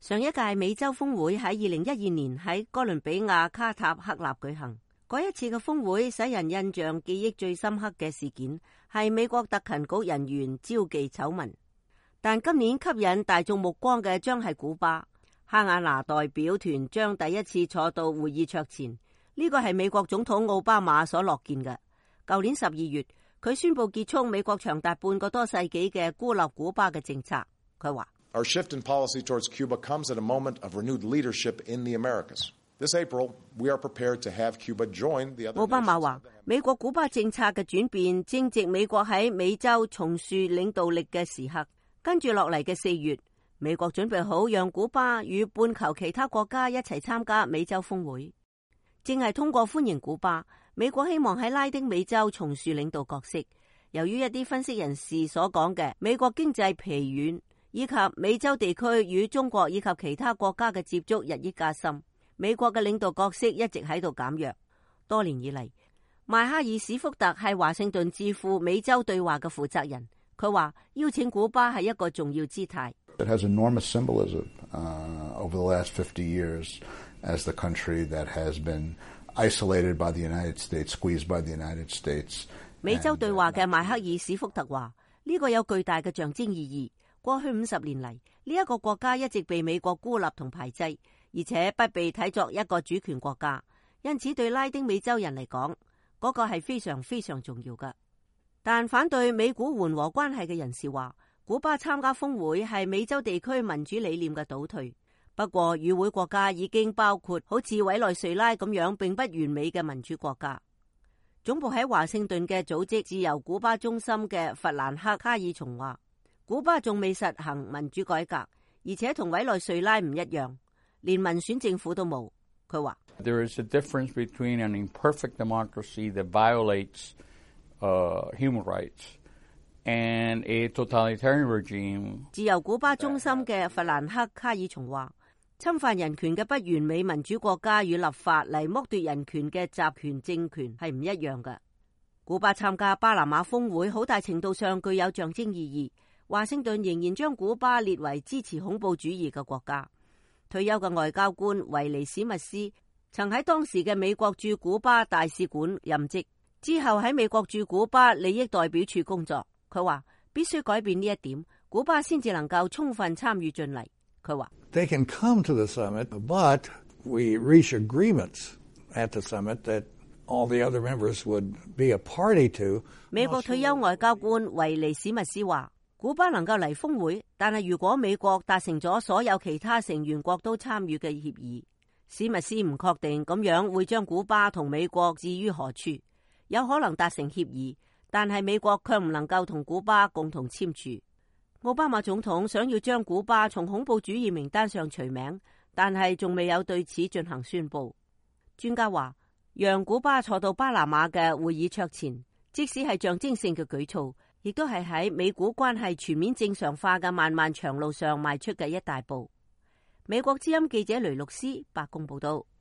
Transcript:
上一屆美洲峰會喺2012年喺哥倫比亞卡塔克納舉行。嗰一次嘅峰會使人印象記憶最深刻嘅事件係美國特勤局人員招妓醜聞。但今年吸引大眾目光嘅將係古巴。哈瓦那代表團將第一次坐到會議桌前，呢個係美國總統奧巴馬所樂見嘅。舊年12月，佢宣布結束美國長達半個多世紀嘅孤立古巴嘅政策。佢話：Our shift in policy towards Cuba comes at a moment of renewed leadership in the Americas. This April, we are prepared to have Cuba join the other nations. 奧巴馬話：美國古巴政策嘅轉變正值美國喺美洲重樹領導力嘅時刻。跟住落嚟嘅4月，美國準備好讓古巴與半球其他國家一齊參加美洲峰會。正係通過歡迎古巴，美國希望喺拉丁美洲重樹領導角色。由於一啲分析人士所講嘅美國經濟疲軟，以及美洲地區與中國以及其他國家嘅接觸日益加深，美國嘅領導角色一直喺度減弱。多年以嚟，邁克爾史福特係華盛頓智庫美洲對話嘅負責人。佢話邀請古巴係一個重要姿態。It has enormous symbolism over the last 50 years as the country that has been isolated by the United States, squeezed by the United States. 美洲對話嘅邁克爾史福特話：呢個有巨大嘅象徵意義。過去50年嚟，呢一個國家一直被美國孤立同排擠，而且不被睇作一個主權國家。因此，對拉丁美洲人嚟講，嗰個係非常非常重要嘅。但反對美古緩和關係嘅人士話，古巴參加峰會係美洲地區民主理念嘅倒退。不過，與會國家已經包括好似委內瑞拉咁樣並不完美嘅民主國家。總部喺華盛頓嘅組織自由古巴中心嘅弗蘭克·卡爾松話，古巴仲未實行民主改革，而且同委內瑞拉唔一樣，連民選政府都冇。佢話：There is a difference between an imperfect democracy that violates human rights and a totalitarian regime. 自由古巴中心嘅弗蘭克·卡爾松話，侵犯人權嘅不完美民主國家與立法嚟剝奪人權嘅集權政權係唔一樣嘅。古巴參加巴拿馬峰會好大程度上具有象徵意義。華盛頓仍然將古巴列為支持恐怖主義嘅國家。退休嘅外交官維尼史密斯曾喺當時嘅美國駐古巴大使館任職，之後喺美國駐古巴利益代表處工作。佢話必須改變呢一點，古巴先至能夠充分參與進嚟。佢話：They can come to the summit, but we reach agreements at the summit that all the other members would be a party to. 美國退休外交官維尼史密斯話：古巴能夠嚟峰會，但係如果美國達成咗所有其他成員國都參與嘅協議，史密斯唔確定咁樣會將古巴同美國置於何處。有可能達成協議，但係美國卻唔能夠同古巴共同簽署。奧巴馬總統想要將古巴從恐怖主義名單上除名，但係仲未有對此進行宣布。專家話，讓古巴坐到巴拿馬嘅會議桌前，即使係象徵性嘅舉措，亦都係喺美古關係全面正常化嘅漫漫長路上邁出嘅一大步。美國之音記者雷律師白宮報道。